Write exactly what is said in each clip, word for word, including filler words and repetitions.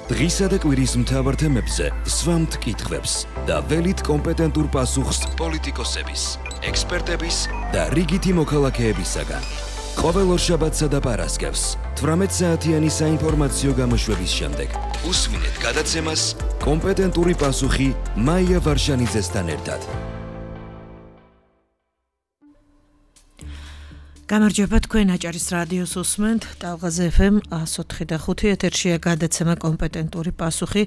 დღისა და კვირის მთავარ თემებზე სვამთ კითხვებს და ველით კომპეტენტურ პასუხს პოლიტიკოსების, ექსპერტების და რიგითი მოქალაქეებისაგან. ყოველ ორშაბათსა და პარასკევს თვრამეტ საათიანი საინფორმაციო გამოშვების შემდეგ უსმინეთ გადაცემას კომპეტენტური პასუხი მაია ვარშანიძესთან ერთად. გამარჯობა, თქვენ აჭარის რადიოს უსმენთ, ტალღაზე ეფ ემ εκατო ოთხი და ხუთი ეთერშია გადაცემა კომპეტენტური პასუხი,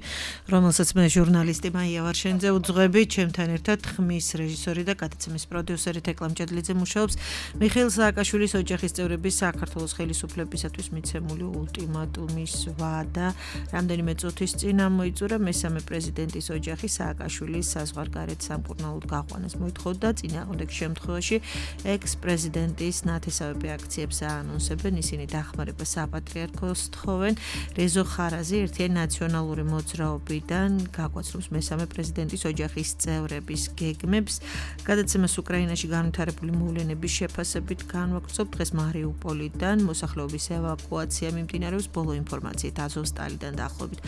რომელსაც მე ჟურნალისტი მაია ვარშანიძე უძღვები, ჩემთან ერთად ხმის რეჟისორი და გადაცემის პროდიუსერი თეკლა მჭედლიძე მუშაობს. მიხეილ სააკაშვილის ოჯახის წევრების საქართველოს ხელისუფლებისათვის მიცემული ულტიმატუმის ვადა რამდენიმე წუთის წინ ამოიწურა. მესამე პრეზიდენტის ოჯახი სააკაშვილის საზღვარგარეთ სამკურნალოდ გაყვანას მოითხოვდა. წინააღმდეგ შემთხვევაში ექს-პრეზიდენტის ნათესავები აქციებს აანონსებენ, ისინი დახმარებას საპატრიარქოს თხოვენ. რეზო ხარაზი ერთიანი ნაციონალური მოძრაობიდან გაგვაცნობს მესამე პრეზიდენტის ოჯახის წევრების გეგმებს. გადაცემას უკრაინაში განვითარებული მოვლენების შეფასებით განვაგრძობ. დღეს მარიუპოლიდან მოსახლეობის ევაკუაცია მიმდინარეობს. ბოლო ინფორმაციით აზოვსტალიდან დაახლოებით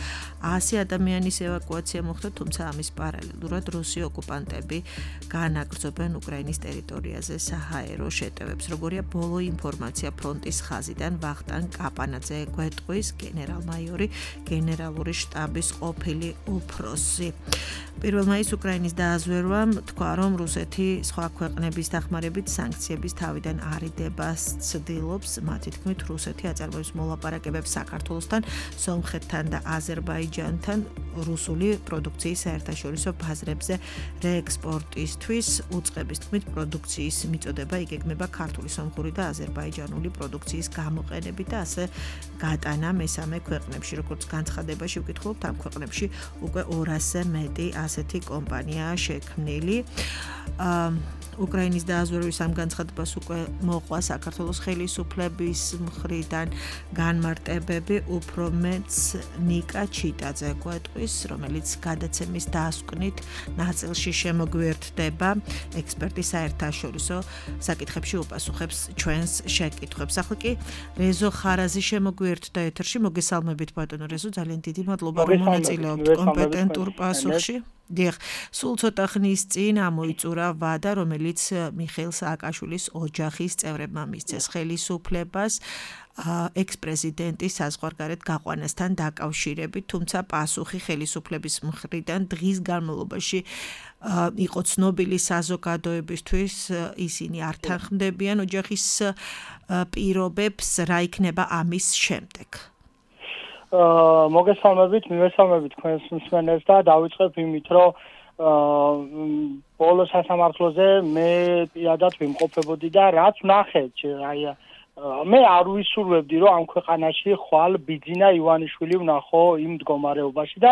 ასი ადამიანის ევაკუაცია მოხდა, თუმცა ამის პარალელურად რუსი ოკუპანტები განაგრძობენ უკრაინის ტერიტორიაზე საჰაერო შეტევებს. როგორია ბოლო ინფორმაცია ფრონტის ხაზიდან, ვახტანგ კაპანაძე გვეტყვის, გენერალ-მაიორი, გენერალური შტაბის ყოფილი უფროსი. პირველ მაისს უკრაინის დააზვერვამ თქვა, რომ რუსეთი სხვა ქვეყნების დახმარებით სანქციების თავიდან არიდებას ცდილობს. მათი თქმით, რუსეთი აწარმოებს მოლაპარაკებებს საქართველოსთან, სომხეთთან და აზერბაიჯანთან რუსული პროდუქციის საერთაშორისო ბაზრებზე რეექსპორტისთვის. უწყების თქმით, პროდუქციის მიწოდება იგეგმება ქართული, სომხური და აზერბაიჯანული პროდუქციის გამოყენებით და ასე გატანა მესამე ქვეყნებში. როგორც განცხადებაში ვკითხულობთ, ამ ქვეყნებში უკვე ორასზე მეტი ასეთი კომპანიაა შექმნილი. უკრაინის დააზვერვის ამ განცხადებას უკვე მოყვა საქართველოს ხელისუფლების მხრიდან განმარტებები, უფრო მეც ნიკა ჩიტაძე გვეტყვის, რომელიც გადაცემის დასკვნით ნაწილში შემოგვიერთდება. ექსპერტი საერთაშორისო საკითხებში უპასუხებს ჩვენს შეკითხვებს. ახლა კი რეზო ხარაზი შემოგვიერთდა ეთერში. მოგესალმებით ბატონო რეზო, ძალიან დიდი მადლობა რომ მონაწილეობთ კომპეტენტურ პასუხში. დიახ, სულ ცოტა ხნის წინ ამოიწურა ვადა, რომელიც მიხეილ სააკაშვილის ოჯახის წევრებმა მისცეს ხელისუფლებას ექს-პრეზიდენტის საზღვარგარეთ გაყვანასთან დაკავშირებით, თუმცა პასუხი ხელისუფლების მხრიდან დღის განმავლობაში იყო ცნობილი საზოგადოებისთვის, ისინი არ თანხმდებიან ოჯახის პირობებს, რა იქნება ამის შემდეგ. მოგესალმებით, მივესალმებით თქვენს მსმენელს და დავიწყებ იმით, რომ ბოლო სასამართლოზე მე პირადად ვიმყოფებოდი და რაც ვნახეთ, აი მე არ ვისურვებდი, რომ ამ ქვეყანაში ხვალ ბიძინა ივანიშვილი ვნახო იმ მდგომარეობაში და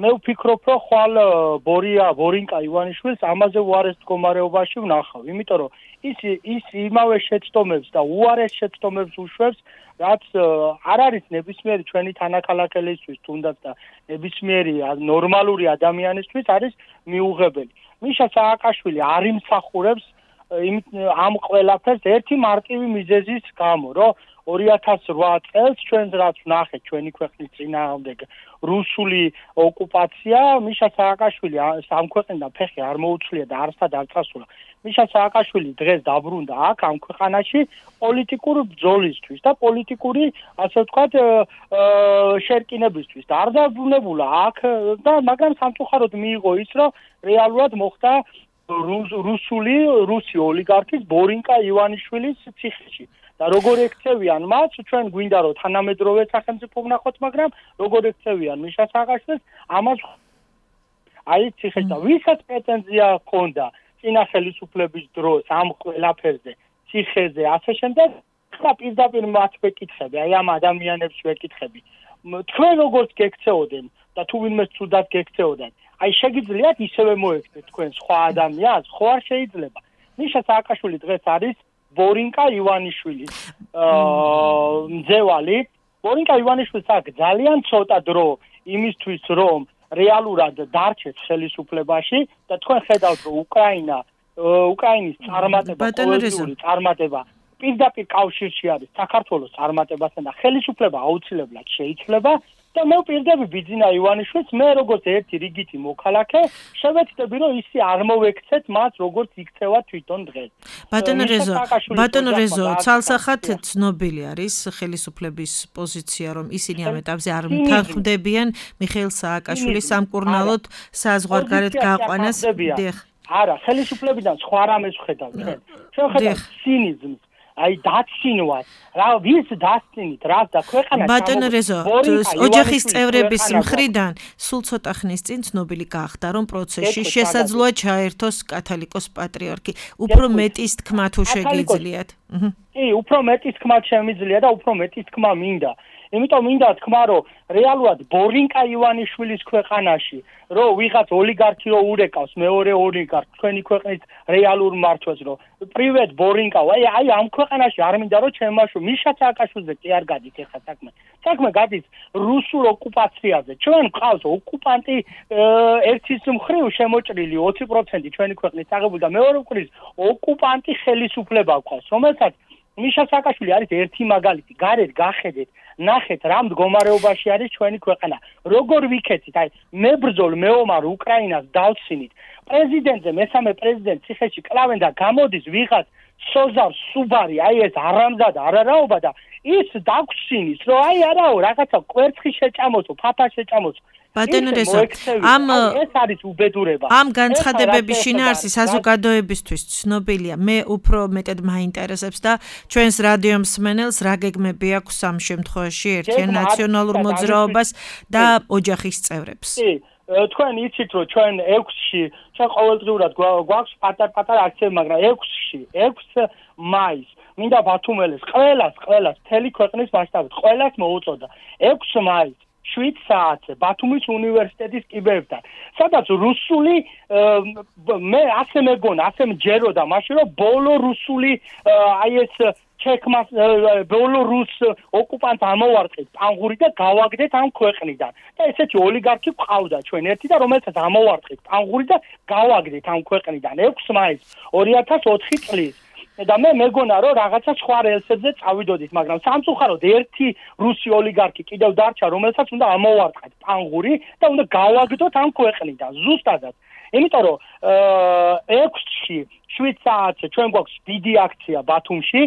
მე ვფიქრობ, რომ ხვალ ბორია ბორინკა ივანიშვილს ამაზე უარეს მდგომარეობაში ვნახავ, იმიტომ რომ ის ის იმავე შეცდომებს და უარეს შეცდომებს უშვებს, რაც არ არის ნებისმიერი ჩვენი თანაქალაქელისთვის, თუნდაც და ნებისმიერი ნორმალური ადამიანისთვის არის მიუღებელი. მიშა სააკაშვილი არ იმსახურებს ამ ყველაფერს ერთი მარტივი მიზეზის გამო, რომ ორი ათას რვა წელს ჩვენს რაც ვნახეთ ჩვენი ქვეყნის წინააღმდეგ რუსული ოკუპაცია, მიშა სააკაშვილი ამ ქვეყნიდან ფეხი არ მოუწლია და არცად არ წასულა. მიშა სააკაშვილი დღეს დაბრუნდა აქ ამ ქვეყანაში პოლიტიკურ ბრძოლისთვის და პოლიტიკური, ასე ვთქვათ, შერკინებისთვის და არ დაბრუნებულა აქ და მაგრამ სამწუხაროდ მიიღო ის, რომ რეალურად მოხდა რუსული რუსი ოლიგარქის ბორინკა ივანიშვილის ციხეში. და როგორ ექცევიან მას, ჩვენ გვინდა რომ თანამედროვე სახელმწიფო ვნახოთ, მაგრამ როგორ ექცევიან მიშა სააკაშვილს, ამას აი ციხეში და ვისაც პრეტენზია ჰქონდა წინა ხელისუფლების დროს ამ ყველაფერზე, ციხეზე, ასე შემდეგ, ხა პირდაპირ მათ ვეკითხები, აი ამ ადამიანებს ვეკითხები. თქვენ როგორც გექცეოდენ და თუ ვინმე ცუდად გექცეოდენ, აი შეგიძლიათ ისევე მოექცეთ თქვენ სხვა ადამიანს, ხო არ შეიძლება. მიშა სააკაშვილი დღეს არის ბორინკა ივანიშვილის მძევალი. ბორინკა ივანიშვილს აქვს ძალიან ცოტა დრო იმისთვის, რომ რეალურად დარჩეს ხელისუფლებაში და თქვენ ხედავთ, რომ უკრაინა უკრაინის წარმატება, ყოველდღიური წარმატება პირდაპირ კავშირში არის საქართველოს წარმატებასთან და ხელისუფლება აუცილებლად შეიძლება და მე ვპირდები ბიძინა ივანიშვილს, მე როგორც ერთი რიგითი მოქალაქე, შევეცდები რომ ისი არ მოვექცეთ მას როგორც იქცევა თვითონ დღეს. ბატონო რეზო, ბატონო რეზო, ცალსახად ცნობილი არის ხელისუფლების პოზიცია, რომ ისინი ამ ეტაპზე არ თანხმდებიან მიხეილ სააკაშვილის სამკურნალოდ საზღვარგარეთ გაყვანას. დიახ. არა, ხელისუფლებიდან სხვა რამეს ვხედავ ჩვენ. ჩვენ ვხედავ ცინიზმს. აი დაცინვას რა ვის დაცინით რა და ქვეყანა ბატონო რეზო ოჯახის წევრების მხრიდან სულ ცოტა ხნის წინ ცნობილი გახდა რომ პროცესში შესაძლოა ჩაერთოს კათოლიკოს პატრიარქი უფრო მეტის თქმა თუ შეგიძლიათ კი უფრო მეტის თქმა შემიძლია და უფრო მეტის თქმა მინდა იმიტომ მინდა თქვა რომ რეალურად ბორინკა ივანიშვილის ქვეყანაში რომ ვიღაც ოლიგარქი რო ურეკავს მეორე ოლიგარქ თქვენი ქვეყნის რეალურ მართვას რომ პრივატ ბორინკა აი აი ამ ქვეყანაში არ მინდა რომ ჩემაშო მიშა სააკაშვილზე კი არ გადით ეხა საქმე საქმე გადის რუსულ ოკუპაციაზე ჩვენ ყავს ოკუპანტი ერთის მხრივ შემოჭრილი ოცი პროცენტი ჩვენი ქვეყნის აღებული და მეორე მხრივ ოკუპანტი ხელისუფლება ყავს რომელსაც მიშა სააკაშვილი არის ერთი მაგალითი გარეთ გახედეთ ნახეთ რა მდგომარეობაში არის ჩვენი ქვეყანა როგორ ვიქეცით აი მებრძოლ მეომარ უკრაინას დავცინით პრეზიდენტზე მესამე პრეზიდენტ ციხეში კლავენ და გამოდის ვიღაც სოზარ სუბარი აი ეს არამზად არარაობა და ის დაგვსინის რომ აი არაო რაღაცა კვერცხი შეჭამოსო ფაფა შეჭამოსო ბატონო რეზო ამ ეს არის უბედურება ამ განცხადებების შინაარსი საზოგადოებისთვის ცნობილია მე უფრო მეტად მაინტერესებს და ჩვენს რადიო მსმენელს რა გეგმები აქვს ამ შემთხვევაში ერთიან ნაციონალურ მოძრაობას და ოჯახის წევრებს კი თქვენ იცით რომ ჩვენ ექვსში ჩვენ ყოველდღიურად გვაქვს პატარ-პატარ აქციები მაგრამ ექვსში ექვსი მაისს მინდა ბათუმელეს ყველას ყველას მთელი ქვეყნის მასშტაბით ყველას მოუწოდა ექვსი მაისს შვიდ საათზე ბათუმის უნივერსიტეტის კიბეებთან სადაც რუსული მე ასე მეგონა ასე მჯეროდა მაშინ რომ ბოლო რუსული აი ეს ჩექმას ბოლო რუს ოკუპანტს ამოვარტყით პანგური და გავაგდეთ ამ ქვეყნიდან და ესეთი ოლიგარქი ყავდა ჩვენ ერთი და რომელსაც ამოვარტყით პანგური და გავაგდეთ ამ ქვეყნიდან ექვსი მაისს ორი ათას ოთხი წლის და მე მეგონა რომ რაღაცა სხვა რელსებზე წავიდოდით მაგრამ სამწუხაროდ ერთი რუსი ოლიგარქი კიდევ დარჩა რომელსაც უნდა ამოვარტყათ პანგური და უნდა გავაგდოთ ამ ქვეყნიდან ზუსტადად იმიტომ რომ ექვსში შვიდ საათზე ჩვენ გვაქვს დიდი აქცია ბათუმში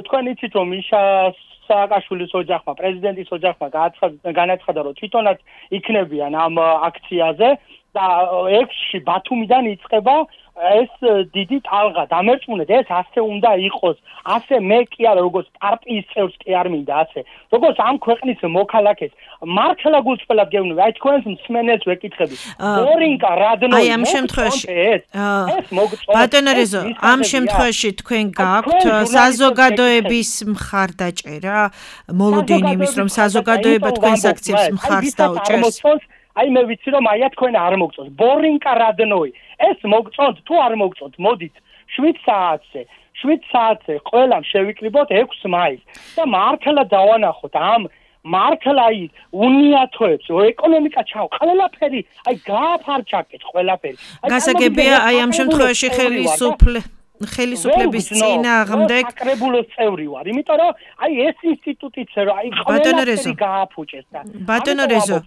თქვენ იცით რომ მიშა სააკაშვილის ოჯახმა პრეზიდენტის ოჯახმა განაცხადა რომ თვითონაც იქნებიან ამ აქციაზე და ექვსში ბათუმიდან იწყება ეს დიდი ტალღა დამერწმუნეთ ეს ასე უნდა იყოს ასე მე კი არა როგორც პარტიის წევრს კი არ მინდა ასე როგორც ამ ქვეყნის მოქალაქეს მართლა გულწრფელად გეუბნები აი თქვენს მსმენელს ვეკითხები ბორინკა რადნოი აი ამ შემთხვევაში ეს მოგწონთ ბატონო რეზო ამ შემთხვევაში თქვენ გაქვთ საზოგადოების მხარდაჭერა მოლოდინი იმის რომ საზოგადოება თქვენს აქციებს მხარს დაუჭერს აი მე ვიცი რომ აია თქვენ არ მოგწონთ ბორინკა რადნოი ეს მოგწონთ თუ არ მოგწონთ მოდით შვიდ საათზე შვიდ საათზე ყველამ შევიკრიბოთ ექვსი მაისს და მართლა დავანახოთ ამ მართლა აი უნიათოებს ეკონომიკა ჩავ ყველაფერი აი გააფარჩაკეთ ყველაფერი გასაგებია აი ამ შემთხვევაში ხელისუფლ ხელისუფლების წინააღმდეგ საკრებულოს წევრი ვარ იმიტომ რომ აი ეს ინსტიტუტიც რომ აი ყველაფერი გააფუჭეს და ბატონო რეზო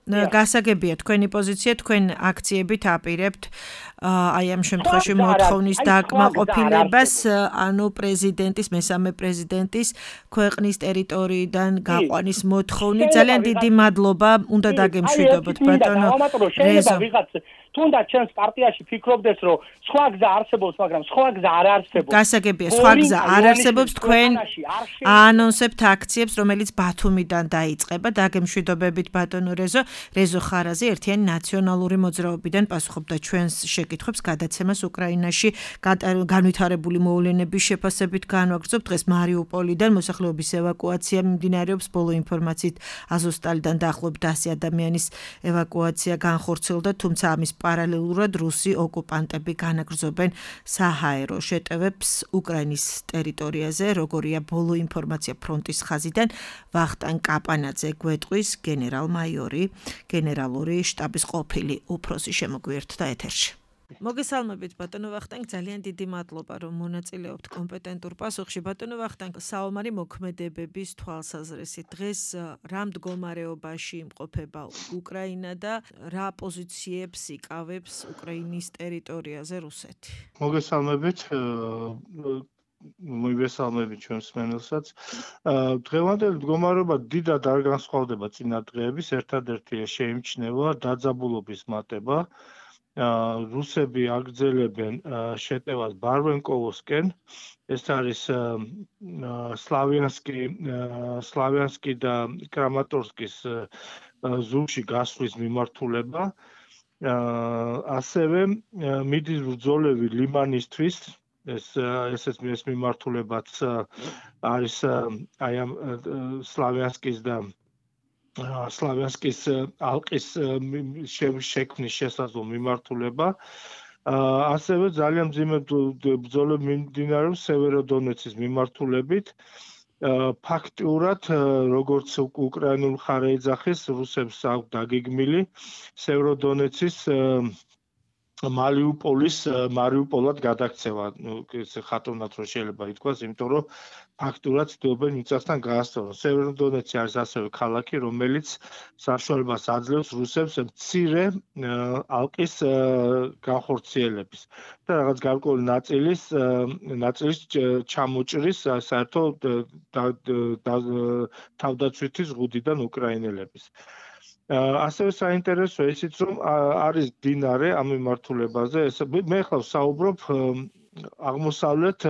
გასაგებია თქვენი პოზიცია თქვენ აქციებით აპირებთ აი ამ შემთხვევაში მოთხოვნის დაკმაყოფილებას ანუ პრეზიდენტის მესამე პრეზიდენტის ქვეყნის ტერიტორიიდან გაყვანის მოთხოვნი ძალიან დიდი მადლობა უნდა დაგემშვიდობოთ ბატონო რეზო თუნდაც ჩვენს პარტიაში ფიქრობდეს რომ სხვა გზა არსებობს მაგრამ სხვა გზა არ არსებობს გასაგებია სხვა გზა არ არსებობს თქვენ აანონსებთ აქციებს რომელიც ბათუმიდან დაიწყება დაგემშვიდობებით ბატონო რეზო რეზო ხარაზი ერთიანი ნაციონალური მოძრაობიდან პასუხობდა ჩვენს შეკითხვებს გადაცემას უკრაინაში განვითარებული მოვლენების შეფასებით განვაგრძობ დღეს მარიუპოლიდან მოსახლეობის ევაკუაცია მიმდინარეობს ბოლო ინფორმაციით აზოვსტალიდან დაახლოებით ასი ადამიანის ევაკუაცია განხორციელდა თუმცა ამის პარალელურად რუსი ოკუპანტები განაგრძობენ საჰაერო შეტევებს უკრაინის ტერიტორიაზე როგორია ბოლო ინფორმაცია ფრონტის ხაზიდან ვახტანგ კაპანაძე გვეტყვის გენერალ-მაიორი გენერალური შტაბის ყოფილი უფროსი შემოგვიერთდა ეთერში მოგესალმებით ბატონო ვახტანგ, ძალიან დიდი მადლობა რომ მონაწილეობთ კომპეტენტურ პასუხში. ბატონო ვახტანგ, საომარი მოქმედებების თვალსაზრისით დღეს რა მდგომარეობაში იმყოფება უკრაინა და რა პოზიციებს იკავებს უკრაინის ტერიტორიაზე რუსეთი? მოგესალმებით, მოგესალმებით ჩვენს მსმენელსაც. დღევანდელი მდგომარეობა დიდად არ განსხვავდება წინა დღეების, ერთადერთი შეიმჩნევა დაძაბულობის მატება. რუსები აგრძელებენ შეტევას ბარვენკოვოსკენ, ეს არის სლავიანსკი, სლავიანსკი და კრამატორსკის ზურგში გასვლის მიმართულება. ასევე მიდის ბრძოლები ლიმანისთვის, ეს ესეც ეს მიმართულებაც არის აი ამ სლავიანსკის და სლავიანსკის ალყის შექმნის შესაძლო მიმართულება. ასევე ძალიან მძიმე ბრძოლები მიმდინარეობს სევეროდონეცის მიმართულებით. ფაქტიურად, როგორც უკრაინულ მხარე ეძახის, რუსებს აქვს დაგეგმილი სევეროდონეცის მარიუპოლის მარიუპოლად გადაქცევა. ეს ხატოვნად რო შეიძლება ითქვას, იმიტომ რომ ფაქტურად ცდილობენ მიწასთან გაასწორონ. სევეროდონეცი არის ასევე ქალაქი, რომელიც საშუალებას აძლევს რუსებს მცირე ალყის განხორციელების და რაღაც გარკვეული ნაწილის ნაწილის ჩამოჭრის საერთოდ თავდაცვითი ზღუდიდან უკრაინელების. ასევე საინტერესო ისიც რომ არის დინარე ამ მიმართულებაზე, ეს მე ხლა ვსაუბრობ აღმოსავლეთ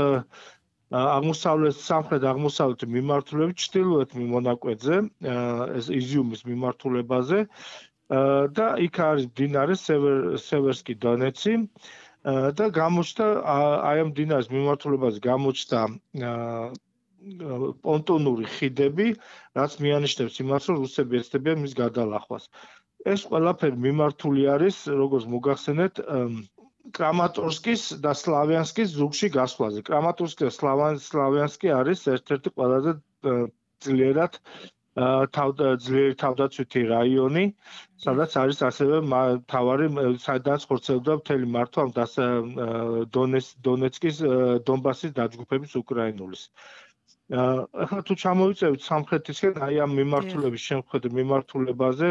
აღმოსავლეთ სამხრეთ აღმოსავლეთ მიმართულებით ჩრდილოეთ მონაკვეთზე, ეს იზიუმის მიმართულებაზე და იქ არის დინარე სევერსკი დონეცი და გამოჩნდა აი ამ დინარის მიმართულებაზე გამოჩნდა პონტონური ხიდები, რაც მიანიშნებს იმას, რომ რუსები ეცდებიან მის გადალახვას. ეს ყველაფერი მიმართული არის, როგორც მოგახსენეთ, კრამატორსკის და სლავიანსკის ზურგში გასვლაზე. კრამატორსკი და სლავიანსკი არის ერთ-ერთი ყველაზე ძლიერად ძლიერი თავდაცვითი რაიონი, სადაც არის ასევე მთავარი, სადაც ხორციელდება მთელი მართვა დონეცკის, დონბასის დაჯგუფების უკრაინულის. ახლა თუ ჩამოვიწევთ სამხრეთისკენ, აი ამ მიმართულების შემხედ მიმართულებაზე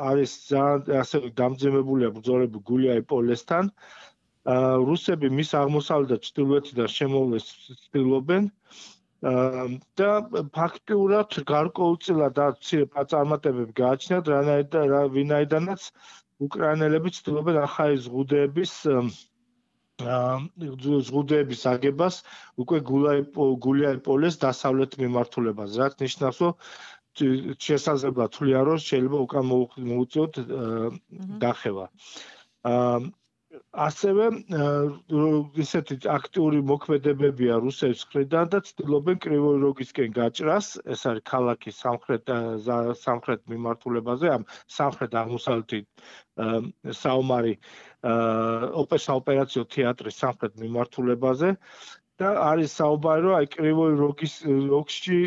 არის ასევე დამძიმებულია ბრძოლები გულიაი-პოლესთან. რუსები მის აღმოსავლეთ და ჩრდილოეთიდან შემოვლეს ცდილობენ და ფაქტიურად გარკვეულწილად მცირე პაწარმატებები გააჩნიათ, ვინაიდანაც უკრაინელები ცდილობენ ახალი ზღუდეების ზღუდეების აგებას უკვე გულიაი-პოლეს დასავლეთ მიმართულებაზე, რაც ნიშნავს, რომ შესაძლებლად თვლიან, რომ შეიძლება უკან მოუწიოთ დახევა. ასევე ისეთი აქტიური მოქმედებებია რუსების მხრიდან და ცდილობენ კრივოი როგისკენ გაჭრას, ეს არის ქალაქი სამხრეთ სამხრეთ მიმართულებაზე, ამ სამხრეთ აღმოსავლეთით საომარი ოპერაციო თეატრის სამხრეთ მიმართულებაზე და არის საუბარი, რომ აი კრივოი როგის როგში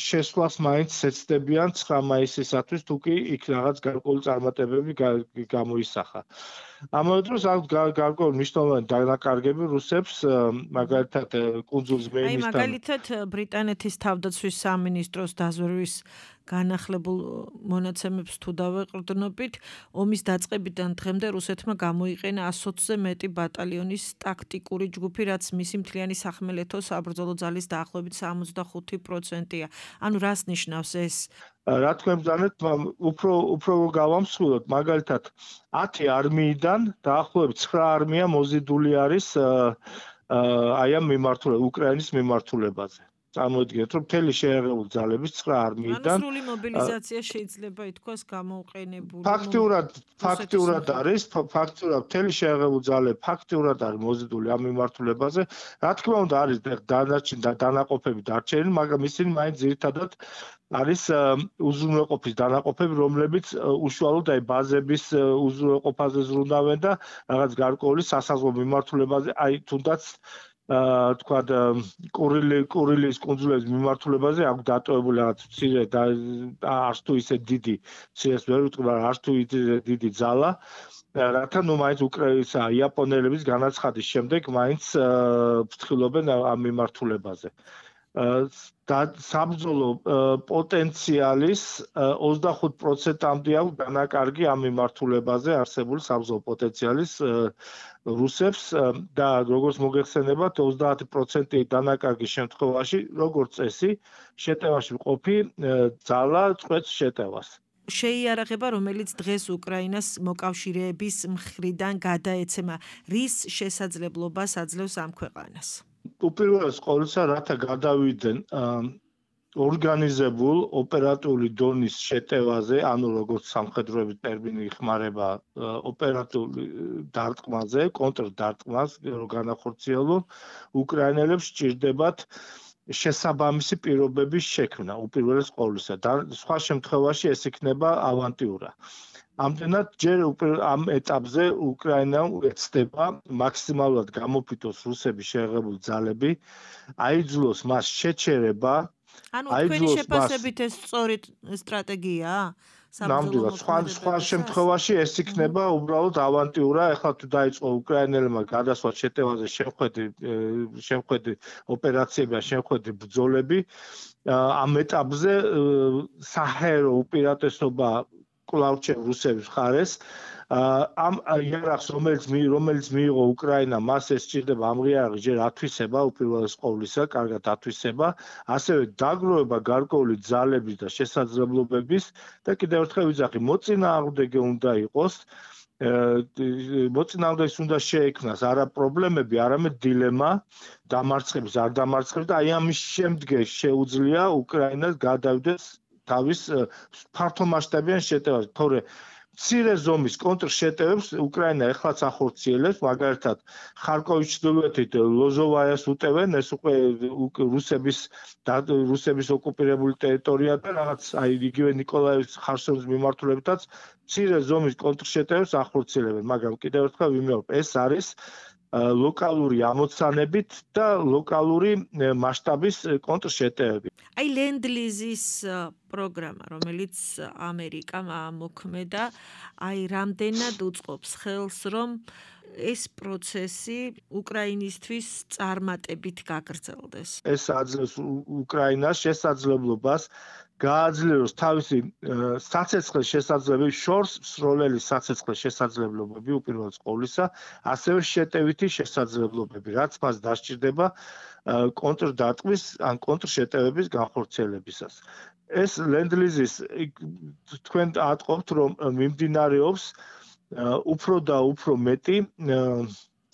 შესვლას მაინც ეცდებიან ცხრა მაისისათვის, თუ კი იქ რაღაც გარკვეული წარმატებები გამოისახა. ამავე დროს აქვს გარკვეული მნიშვნელოვანი დანაკარგები რუსებს, მაგალითად კუნძულ ზმეინისთან. აი მაგალითად ბრიტანეთის თავდაცვის სამინისტროს დაზვერვის განახლებულ მონაცემებს თუ დავეყრდნობით, ომის დაწყებიდან დღემდე რუსეთმა გამოიყენა ასოცზე მეტი ბატალიონის ტაქტიკური ჯგუფი, რაც მისი მთლიანი სახმელეთო საბრძოლო ძალის დაახლოებით სამოცდახუთი პროცენტია. ანუ რას ნიშნავს ეს? რა თქმა ბრძანეთ, უფრო უფრო გავამსხვილოთ, მაგალითად ათი არმიიდან დაახლოებით ცხრა არმია მოზიდული არის აი ამ მიმართულება უკრაინის მიმართულებაზე. წარმოიდგინეთ, რომ მთელი შეერეული ძალების ცხრა არმიიდან სრული მობილიზაცია შეიძლება ითქვას გამოუყენებული. ფაქტიურად ფაქტიურად არის, ფაქტიურად მთელი შეერეული ძალები ფაქტიურად არის მოზიდული ამ მიმართულებაზე. რა თქმა უნდა არის დანარჩენი და დანაყოფები დარჩენილი, მაგრამ ისინი მაინც ძირითადად არის უზრუნველყოფის დანაყოფები, რომლებიც უშუალოდ აი ბაზების უზრუნველყოფაზე ზრუნავენ და რაღაც გარკვეული სასაზღვრო მიმართულებაზე, აი თუნდაც აა თქვა კურილი კურილის კუნძულების მიმართულებაზე აქვს დატოვებული რაღაც მცირე და არც თუ ისე დიდი მცირეს ვერ ვიტყვი, მაგრამ არც თუ ისე დიდი ძალა, რათა ნუ მაინც უკრაინისა იაპონელების განაცხადის შემდეგ მაინც ფრთხილობენ ამ მიმართულებაზე. და საბრძოლო პოტენციალის ოცდახუთ პროცენტამდე აქვს დანაკარგი ამ მიმართულებაზე არსებული საბრძოლო პოტენციალის რუსებს და როგორც მოგეხსენებათ ოცდაათი პროცენტი დანაკარგის შემთხვევაში როგორც წესი შეტევაში მყოფი ძალა წყვეტს შეტევას. შეიარაღება, რომელიც დღეს უკრაინას მოკავშირეების მხრიდან გადაეცემა, რის შესაძლებლობას აძლევს ამ ქვეყანას? უპირველეს ყოვლისა, რათა გადავიდნენ ორგანიზებულ ოპერატიული დონის შეტევაზე, ანუ როგორც სამხედროების ტერმინი იხმარება ოპერატიული დარტყმაზე, კონტრდარტყმას, რომ განახორციელონ, უკრაინელებს სჭირდებათ შესაბამისი პირობების შექმნა, უპირველეს ყოვლისა. და სხვა შემთხვევაში ეს იქნება ავანტიურა. ამდენად ჯერ ამ ეტაპზე უკრაინამ ეცდება მაქსიმალურად გამოფიტოს რუსების შეღებულ ძალები, აიძულოს მას შეჩერება, ანუ თქვენი შეფასებით ეს სწორი სტრატეგიაა? ნამდვილად, სხვა სხვა შემთხვევაში ეს იქნება უბრალოდ ავანტიურა, ეხლა თუ დაიწყო უკრაინელებმა გადასვა შეტევაზე შემხედი შემხედი ოპერაციები, შემხედი ბრძოლები, ამ ეტაპზე საჰაერო უპირატესობა კვლავ რჩევ რუსების მხარეს. ამ იარაღს რომელიც რომელიც მიიღო უკრაინა, მას ეს სჭირდება ამ იარაღის ჯერ ათვისება, უპირველეს ყოვლისა, კარგად ათვისება, ასევე დაგროვება გარკვეული ძალების და შესაძლებლობების და კიდევ ერთხელ ვიძახი, მოწინააღმდეგე უნდა იყოს, მოწინააღმდეგეს უნდა შეექმნას არა პრობლემები, არამედ დილემა, დამარცხების, არ დამარცხების და აი ამის შემდგომ შეუძლია უკრაინას გადავიდეს თავის ფართომასშტაბიან შეტევას, თორე მცირე ზომის კონტრშეტევებს უკრაინა ეხლაც ახორციელებს, მაგალითად, ხარკოვის ჩრდილოეთით ლოზოვაიას უტევენ, ეს უკვე რუსების რუსების ოკუპირებული ტერიტორია და რაღაც აი იგივე ნიკოლაევის ხარსონის მიმართულებითაც მცირე ზომის კონტრშეტევებს ახორციელებენ, მაგრამ კიდევ ერთხელ ვიმეორებ, ეს არის ლოკალური ამოცანებით და ლოკალური მასშტაბის კონტრშეტევები. აი ლენდლიზის პროგრამა, რომელიც ამერიკამ ამოქმედა, აი რამდენად უწყობს ხელს, რომ ეს პროცესი უკრაინისთვის წარმატებით გაგრძელდეს. ეს აძლევს უკრაინას შესაძლებლობას გააძლიეროს თავისი საცეცხლის შესაძლებლობები, შორს მსროლელი საცეცხლის შესაძლებლობები უპირველეს ყოვლისა, ასევე შეტევითი შესაძლებლობები, რაც მას დასჭირდება კონტრდარტყმის ან კონტრშეტევების განხორციელებისას. ეს ლენდლიზის თქვენ ატყობთ, რომ მიმდინარეობს უფრო და უფრო მეტი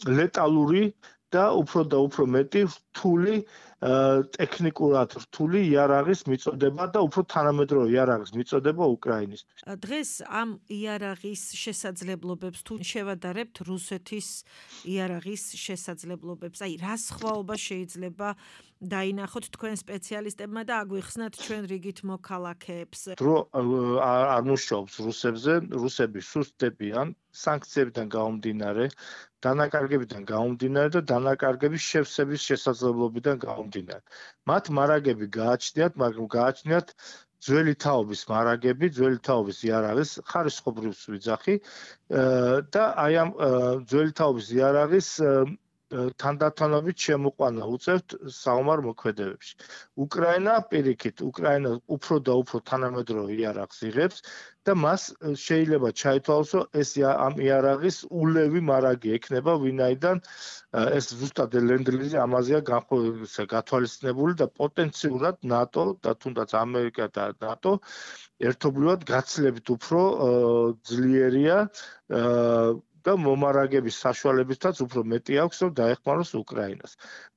ლეტალური და უფრო და უფრო მეტი რთული ტექნიკურად რთული იარაღის მიწოდება და უფრო თანამედროვე იარაღის მიწოდება უკრაინისთვის. დღეს ამ იარაღის შესაძლებლობებს თუ შევადარებთ რუსეთის იარაღის შესაძლებლობებს, აი რა სხვაობა შეიძლება დაინახოთ თქვენ სპეციალისტებმა და აგვიხსნათ ჩვენ რიგით მოქალაქეებს. დრო არ მუშაობს რუსებზე, რუსები სუსტებიან სანქციებიდან გამომდინარე, დანაკარგებიდან გამომდინარე და დანაკარგების შევსების შესაძლებლობიდან გამომდინარე. მათ მარაგები გააჩნიათ, მაგრამ გააჩნიათ ძველი თაობის მარაგები, ძველი თაობის იარაღის ხარისხობრივს ვიძახი და აი ამ ძველი თაობის იარაღის თანდათანობით შემოყვანა უწევთ საომარ მოქმედებებში. უკრაინა პირიქით, უკრაინა უფრო და უფრო თანამედროვე იარაღს იღებს და მას შეიძლება ჩაითვალოს, ეს ამ იარაღის ულევი მარაგი ექნება, ვინაიდან ეს ზუსტად ლენდლიზი ამაზეა გათვალისწინებული და პოტენციურად ნატო და თუნდაც ამერიკა და ნატო ერთობლივად გაცილებით უფრო ძლიერია და მომარაგების საშუალებითაც უფრო მეტი აქვს, რომ დაეხმაროს უკრაინას.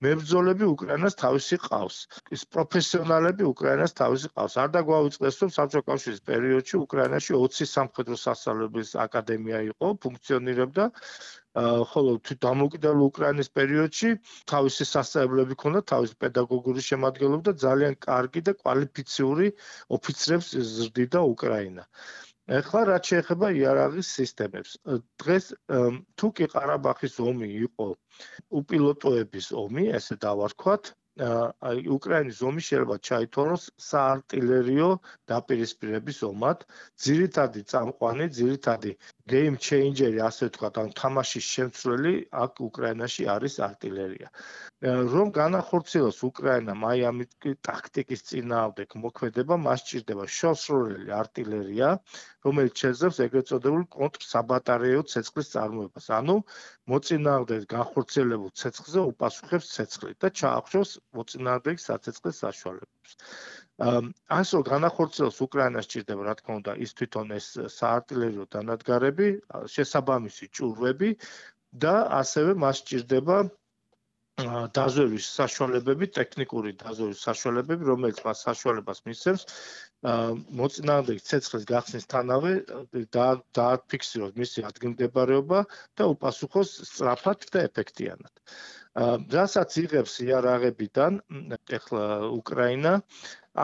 მებრძოლები უკრაინას თავისი ყავს. ის პროფესიონალები უკრაინას თავისი ყავს. არ დაგვაუწყდეს, რომ საბჭოთა კავშირის პერიოდში უკრაინაში ოცი სამხედრო სასწავლებლის აკადემია იყო, ფუნქციონირებდა, ხოლო დამოუკიდებელ უკრაინის პერიოდში თავისი სასწავლებლები ჰქონდა, თავისი პედაგოგიური შემადგენლობა და ძალიან კარგი და კვალიფიციური ოფიცრებს ზრდიდა უკრაინა. ეხლა რაც შეეხება იარაღის სისტემებს. დღეს თუ კი ყარაბაღის ომი იყო უპილოტოების ომი, ესე დავარქვათ, აი უკრაინის ომი შეიძლება ჩაითვალოს საარტილერიო დაპირისპირების ომად, ძირითადი წამყვანი, ძირითადი game changer-ი, ასე ვთქვათ, ან თამაშის შემცვლელი აქ უკრაინაში არის არტილერია. რომ განახორციელოს უკრაინამ აი ამ ტაქტიკის წინააღმდეგ მოქმედება, მას სჭირდება შორსროლელი არტილერია, რომელიც შეძლებს ეგრეთ წოდებულ კონტრსაბატარეო ცეცხლის წარმოებას. ანუ მოწინააღმდეგეს განხორციელებულ ცეცხლზე უპასუხებს ცეცხლით და ჩაახშოს მოწინააღმდეგის საცეცხლის საშუალებებს. ასე რომ განახორციელოს უკრაინას სჭირდება, რა თქმა უნდა, ის თვითონ ეს საარტილერიო დანადგარები, შესაბამისი ჭურვები და ასევე მას სჭირდება დაზვერვის საშუალებები, ტექნიკური დაზვერვის საშუალებები, რომელიც მას საშუალებას მისცემს მოწინააღმდეგის ცეცხლის გახსნისთანავე დააფიქსიროს მისი ადგილმდებარეობა და უპასუხოს სწრაფად და ეფექტიანად. რასაც იღებს იარაღებიდან ეხლა უკრაინა,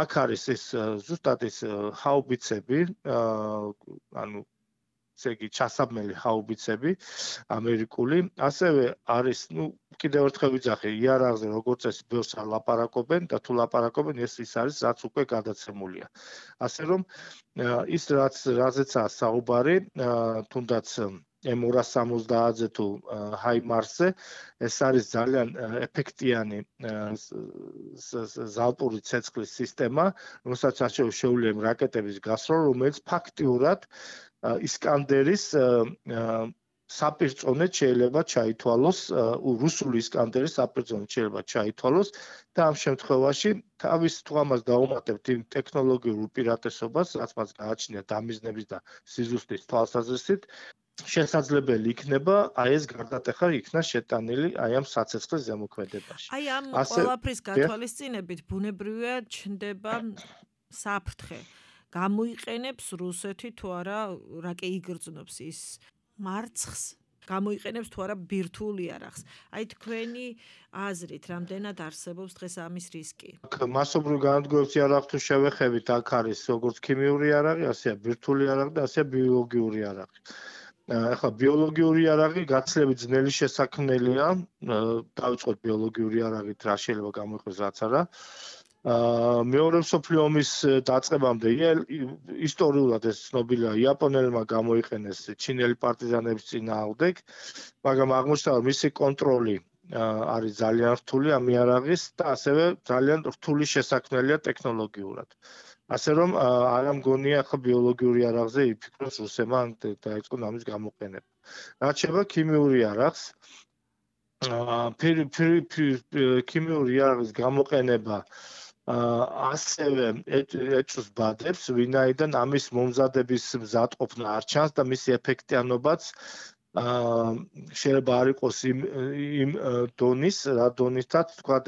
აქ არის ეს ზუსტად ეს ჰაუბიცები, ანუ ესე იგი ჩასაბმელი ჰაუბიცები ამერიკული, ასევე არის, ну, კიდევ ერთხელ ვიძახი, იარაღზე როგორც წესი ბევრს არ ლაპარაკობენ და თუ ლაპარაკობენ, ეს ის არის, რაც უკვე გადაცემულია. ასე რომ ის რაც რაზეცაა საუბარი, თუნდაც ემ ორას სამოცდაათზე თუ ჰაიმარსზე, ეს არის ძალიან ეფექტიანი ზალპური ცეცხლის სისტემა, რომელსაც შეუძლია რაკეტების გასროლ, რომელიც ფაქტიურად ისკანდერის საპირწონედ შეიძლება ჩაითვალოს, რუსული ისკანდერის საპირწონედ შეიძლება ჩაითვალოს და ამ შემთხვევაში თავის თუ ამას დაუმატებთ იმ ტექნოლოგიურ უპირატესობას, რაც მას გააჩნია დამიზნების და სიზუსტის თვალსაზრისით, შესაძლებელი იქნება აი ეს გარდატეხა იქნა შეტანილი აი ამ საცეცხლის ზემოქმედებაში. აი ამ ყველაფრის გათვალისწინებით ბუნებრივია ჩნდება საფრთხე. გამოიყენებს რუსეთი თუ არა რაკე იგრძნობს ის მარცხს, გამოიყენებს თუ არა ბირთვულ იარაღს. აი თქვენი აზრით, რამდენად არსებობს დღეს ამის რისკი? მასობრივ განადგურებულ იარაღს თუ შევეხებით, აქ არის როგორც ქიმიური იარაღი, ასეა ბირთვული იარაღი და ასეა ბიოლოგიური იარაღი. ახლა ბიოლოგიური იარაღი გაცილებით ძნელი შესაქმნელია, დავიწყოთ ბიოლოგიური იარაღით, რა შეიძლება გამოიყენოს, რაც არა. მეორე მსოფლიო ომის დაწყებამდე ისტორიულად ეს ცნობილია, იაპონელებმა გამოიყენეს ჩინელი პარტიზანების წინააღმდეგ, მაგრამ აღმოჩნდა, რომ მისი კონტროლი არის ძალიან რთული ამ იარაღის და ასევე ძალიან რთული შესაქმნელია ტექნოლოგიურად. ასე რომ არ ამგონია ახლა ბიოლოგიური იარაღზე იფიქროს რუსებმა დაიწყონ ამის გამოყენება. რაც შეეხება ქიმიური იარაღს, ქიმიური იარაღის გამოყენება ასევე ეჭვს ბადებს, ვინაიდან ამის მომზადების მზადყოფნა არ ჩანს და მისი ეფექტიანობაც შეიძლება არ იყოს იმ იმ დონის, რა დონითაც თქვა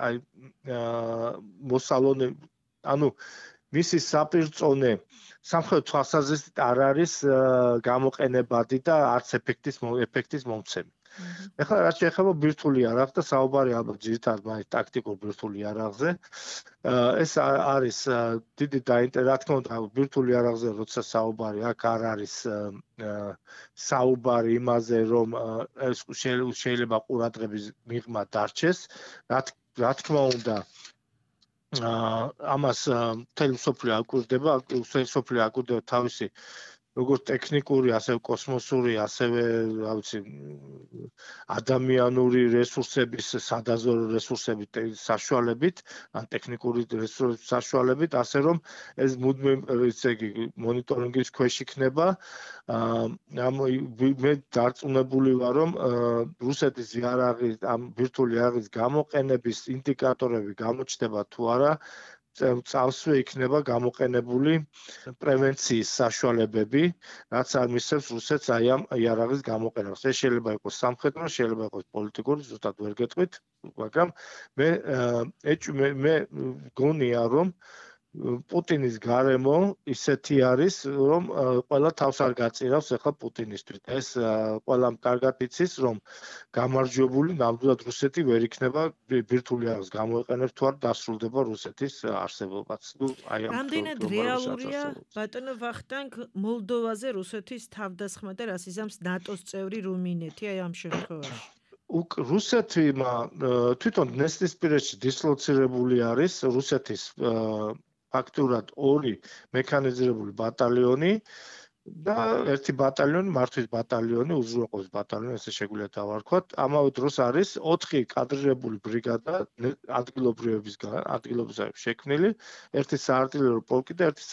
აი მოსალონე, ანუ მისი საპირწონე სამხრეთ თვალსაზრისით არ არის გამოყენებადი და არც ეფექტის ეფექტის მომცემი. ეხლა რაც შეეხება ბირთვული იარაღს და საუბარი ალბათ ძირითადად მაინც ტაქტიკურ ბირთვულ იარაღზე, ეს არის დიდი დაინტერესება, რა თქმა უნდა, ბირთვულ იარაღზე როცა საუბარი აქ არ არის საუბარი იმაზე, რომ ეს შეიძლება ყურადღების მიღმა დარჩეს, რა თქმა უნდა, ამას მთელი მსოფლიო აკვირდება, მსოფლიო აკვირდება თავისი როგორც ტექნიკური, ასევე კოსმოსური, ასევე, რა ვიცი, ადამიანური რესურსების, სადაზვერვო რესურსების საშუალებით, ან ტექნიკური რესურსების საშუალებით, ასე რომ ეს მუდმივ, ესე იგი, მონიტორინგის ქვეშ იქნება. მე დარწმუნებული ვარ, რომ რუსეთის იარაღის, ამ ბირთვული იარაღის გამოყენების ინდიკატორები გამოჩნდება თუ არა, წავსვე იქნება გამოყენებული პრევენციის საშუალებები, რაც არ მისცემს რუსეთს აი ამ იარაღის გამოყენებას. ეს შეიძლება იყოს სამხედრო, შეიძლება იყოს პოლიტიკური, ზუსტად ვერ გეტყვით, მაგრამ მე მე მე გონია, რომ პუტინის გარემო ისეთი არის, რომ ყველა თავს არ გაწირავს ახლა პუტინისთვის. ეს ყველამ კარგად იცის, რომ გამარჯვებული ნამდვილად რუსეთი ვერ იქნება ბირთვული არხს გამოეყენებს თუ არ დასრულდება რუსეთის არსებობაც. ნუ აი ამ რამდენად რეალურია ბატონო ვახტანგ მოლდოვაზე რუსეთის თავდასხმა და რას იზამს ნატოს წევრი რუმინეთი აი ამ შემთხვევაში? რუსეთმა თვითონ დნესტრისპირეთში დისლოცირებული არის რუსეთის ფაქტურად ორი მექანიზირებული ბატალიონი და ერთი ბატალიონი, მართვის ბატალიონი, უზრუნველყოფის ბატალიონი, ესე შეგვიძლია დავარქვათ. ამავე დროს არის ოთხი კადრირებული ბრიგადა ადგილობრივებისგან, ადგილობრივად შექმნილი, ერთი საარტილერიო პოლკი და ერთი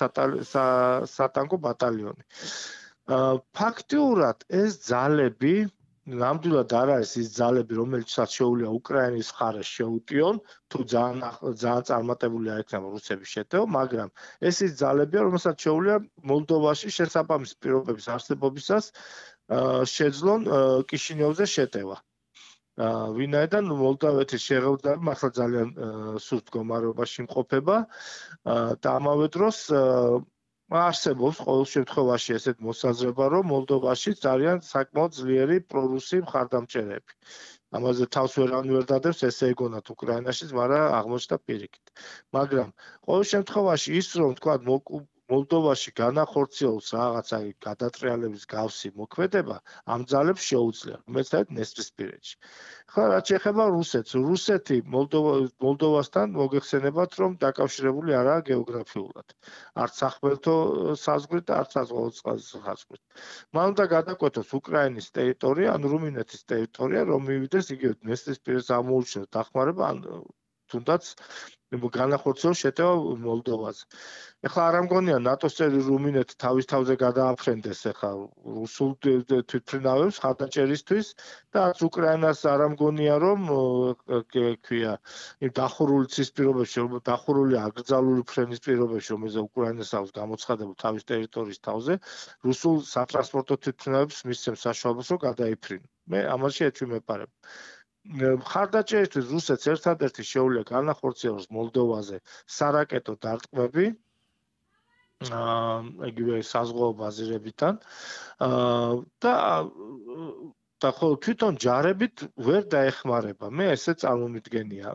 სატანკო ბატალიონი. ფაქტიურად ეს ძალები ნამდვილად არ არის ის ძალები, რომელიცაც შეუძლია უკრაინის მხარეს შეუტიონ, თუ ძალიან ძალიან წარმატებული არ იქნება რუსების შეტევა, მაგრამ ეს ის ძალებია, რომელსაც შეუძლია მოლდოვაში შესაბამის პირობების არსებობისას შეძლონ კიშინიოვზე შეტევა. ვინაიდან მოლდოვეთის შეღებილები მართლა ძალიან სუსტ მდგომარეობაში იმყოფება და ამავე დროს არსებობს ყოველ შემთხვევაში ესეთ მოსაზრება, რომ მოლდოვაში ძალიან საკმაოდ ძლიერი პრორუსი მხარდამჭერები. ამაზე თავს ვერავინ ვერ დადევს, ესე ეგონათ უკრაინაშიც, მაგრამ აღმოჩნდა პირიქით. მაგრამ ყოველ შემთხვევაში ის რომ თქვა მოლდოვაში განახორციელოს რაღაცა გადატრიალების გავსი მოქმედება, ამ ძალებს შეუძლია, რომელიც არის დნესტრისპირეთში. ხლა რაც შეეხება რუსეთს, რუსეთი მოლდოვასთან მოგეხსენებათ, რომ დაკავშირებული არაა გეოგრაფიულად. არც სახმელთო საზღვრით და არც საზღვაოწყალოს საზღვრით. მან უნდა გადაკვეთოს უკრაინის ტერიტორია, ან რუმინეთის ტერიტორია, რომ მივიდეს იგივე დნესტრისპირეთს ამოუჩნდეს დახმარება, ან თუნდაც განახორციელოს შეტევა მოლდოვაზე. ეხლა არ ამგონია ნატოს წევრი რუმინეთი თავის თავზე გადააფრენდეს ახლა რუსულ თვითმფრინავებს ხარდაჭერისთვის და არც უკრაინას არ ამგონია რომ ქვია იმ დახურული ცის პირობებში, რომ დახურული აკრძალული ფრენის პირობებში, რომელზე უკრაინას აქვს გამოცხადება თავის ტერიტორიის თავზე, რუსულ სატრანსპორტო თვითმფრინავებს მისცემს საშუალებას რომ გადაიფრინონ. მე ამაში ეჭვი მეპარებ. ხარდაჭერისთვის რუსეთს ერთადერთი შეუძლია განახორციელოს მოლდოვაზე სარაკეტო დარტყმები იგივე საზღვაო ბაზირებიდან და და ხოლო თვითონ ჯარებით ვერ დაეხმარება. მე ესე წარმომიდგენია.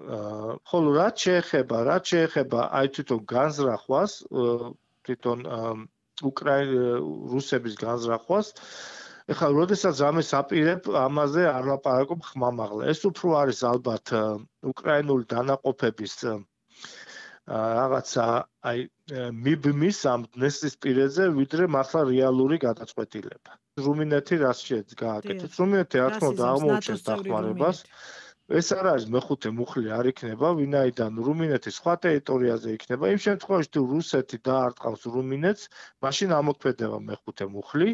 ხოლო რაც შეეხება, რაც შეეხება აი თვითონ განზრახვას, თვითონ უკრაინის რუსების განზრახვას, ეხლა როდესაც ამას აპირებ, ამაზე არ ლაპარაკობ ხმამაღლა. ეს უფრო არის ალბათ უკრაინული დანაყოფების რაღაცა აი მიბმის ამ დნესტრისპირეთზე, ვიდრე მართლა რეალური გადაწყვეტილება. რუმინეთი რას შეეძ გააკეთებს? რუმინეთი რა თქმა უნდა აღმოუჩენს დახმარებას. ეს არ არის მეხუთე მუხლი არ იქნება, ვინაიდან რუმინეთის სხვა ტერიტორიაზე იქნება. იმ შემთხვევაში თუ რუსეთი დაარტყავს რუმინეთს, მაშინ ამოქმედება მეხუთე მუხლი,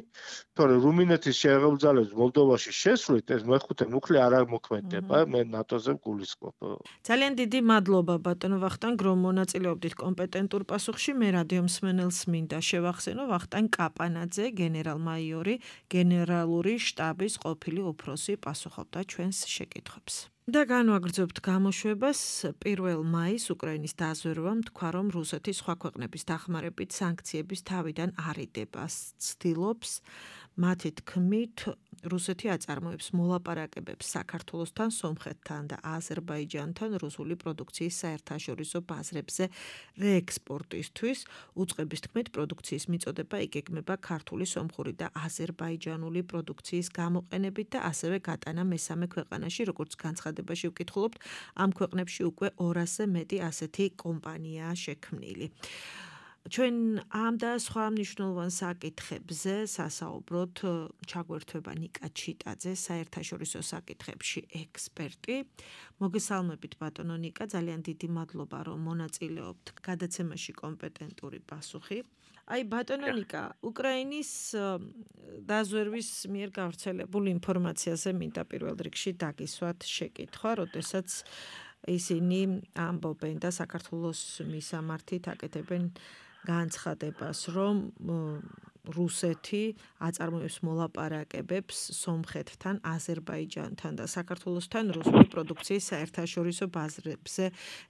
თორე რუმინეთის შეერთებულ ძალებს მოლდოვაში შესვლით, ეს მეხუთე მუხლი არ ამოქმედება, მე ნატოზე გულისხმობ. ძალიან დიდი მადლობა ბატონო ვახტანგ, რომ მონაწილეობდით კომპეტენტურ პასუხში. მე რადიო მსმენელს მინდა შევახსენო ვახტანგ კაპანაძე, გენერალ-მაიორი, გენერალური შტაბის ყოფილი უფროსი პასუხობდა ჩვენს შეკითხვებს. და განვაგრძობთ გამოშვებას. პირველ მაისს უკრაინის დაზვერვამ თქვა, რომ რუსეთი სხვა ქვეყნების დახმარებით სანქციების თავიდან არიდებას ცდილობს. მათი თქმით, რუსეთი აწარმოებს მოლაპარაკებებს საქართველოსთან, სომხეთთან და აზერბაიჯანთან რუსული პროდუქციის საერთაშორისო ბაზრებზე რეექსპორტისთვის. უწყების თქმით, პროდუქციის მიწოდება იგეგმება ქართული, სომხური და აზერბაიჯანული პროდუქციის გამოყენებით და ასევე გატანა მესამე ქვეყანაში, როგორც განცხადებაში ვკითხულობთ, ამ ქვეყნებში უკვე ორასზე მეტი ასეთი კომპანიაა შექმნილი. ჩვენ ამ და სხვა მნიშვნელოვან საკითხებზე სასაუბროთ ჩაგვერთვება ნიკა ჩიტაძე, საერთაშორისო საკითხებში ექსპერტი. მოგესალმებით ბატონო ნიკა, ძალიან დიდი მადლობა რომ მონაწილეობთ გადაცემაში კომპეტენტური პასუხი. აი ბატონო ნიკა, უკრაინის დაზვერვის მიერ გავრცელებულ ინფორმაციაზე მინდა პირველ რიგში დაგისვათ შეკითხვა, როდესაც ისინი ამბობენ და საქართველოს მისამართით აკეთებენ განცხადებას, რომ რუსეთი აწარმოებს მოლაპარაკებებს სომხეთთან, აზერბაიჯანთან და საქართველოსთან რუსული პროდუქციის საერთაშორისო ბაზრებზე